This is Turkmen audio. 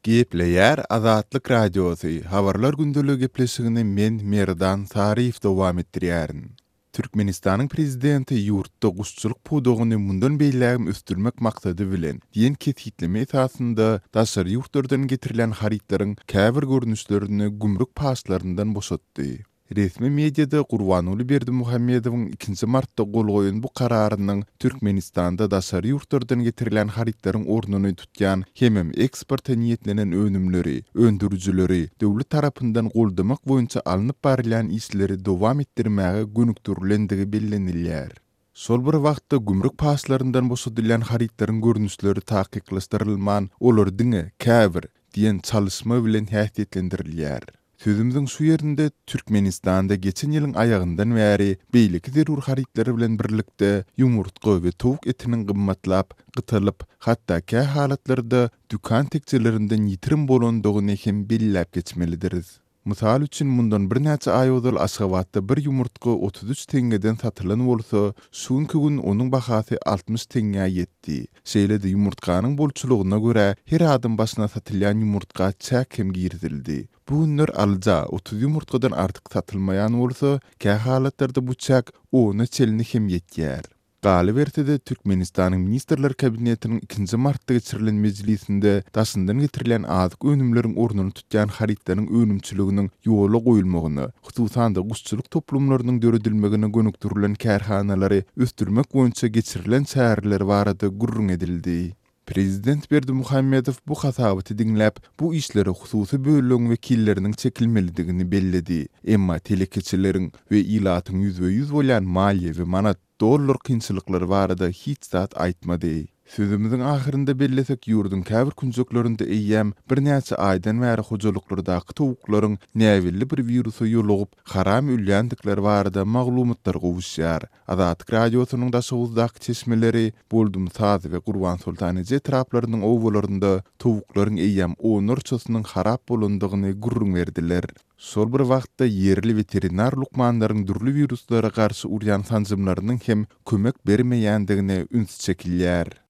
Gepleýär Azatlyk Radiosy, Habarlar gündeligi gepleşigini men, Merdan Saryýew dowam etdirýärin. Türkmenistanyň Prezidenti ýurtda guşçulyk pudagyny mundan beýlägem ösdürmek maksady bilen diýen kesgitleme esasynda daşary ýurtlardan getirilýän harytlaryň käbir görnüşlerini gümrük paçlaryndan boşatdy. Resmi mediada Gurbanguly Berdimuhamedowyň ikinji martda gol goýan bu kararynyň Türkmenistanda daşary ýurtlardan getirilýän harytlaryň ornuny tutýan hemem eksporta niýetlenen önümleri, öndürijileri döwlet tarapyndan goldamak boýunça alnyp barylýan işleri dowam etdirmäge gönükdirilendigi bellenilýär. Şol bir wagtda, gümrük paçlaryndan boşadylýan harytlaryň görnüşleri takyklaşdyrylman, olar diňe käbir diýen çalyşma bilen häsiýetlendirilýär. Sözümiziň şu ýerinde Türkmenistanda geçen ýylyň aýagyndan bäri beýleki zerur harytlar bilen birlikde ýumurtga we towuk etiniň gymmatlap, gytalyp, hatda kä halatlarda dükan tekjelerinden ýitirim bolandygyny hem belläp geçmelidiris. Mysal üçin, mundan birnäçe aý ozal Aşgabatda bir ýumurtga 33 teňňeden satylan bolsa, şu günki gün onuň bahasy 60 teňňä ýetdi. Şeýle-de ýumurtganyň bolçulygyna görä, her adam başyna satylýan ýumurtga çäk hem girizildi. Bu günler alyja 30 ýumurtgadan artyk satylmaýan bolsa, kä halatlarda bu çäk ona çenli hem ýetýär. Galyberse-de, Türkmenistanyň Ministrler Kabinetiniň ikinji martda geçirilen mejlisinde daşyndan getirilýän azyk önümleriň ornuny tutýan harytlaryň önümçiliginiň ýola goýulmagyna, hususan-da, guşçulyk toplumlarynyň döredilmegine gönükdirilen kärhanalary ösdürmek boýunça geçirilen çäreler barada gürrüň edildi. Prezident Berdimuhamedow bu hasabaty diňläp, bu işlere hususy bölegiň wekilleriniň çekilmelidigini belledi. Emma telekeçileriň we ilatyň ýüzbe-ýüz bolýan maliýe we manat, dollar kynçylyklary barada hiç zat aýtmady. Sözümiziň ahyrynda bellesek, ýurduň käbir künjeklerinde eýýäm birnäçe aýdan bäri hojalyklardaky towuklaryň näbelli bir wirusa ýolugyp, haram ölýändikleri barada maglumatlar gowuşýar. Azatlyk Radiosynyň Daşoguzdaky çeşmeleri Boldumsaz we Gurbansoltan eje etraplarynyň obalarynda towuklaryň eýýäm onlarçasynyň harap bolandygyny gürrüň berdiler. Şol bir wagtda, ýerli weterinar lukmanlaryň dürli wiruslara garşy urýan sanjymlarynyň hem kömek bermeýändigine üns çekilýär.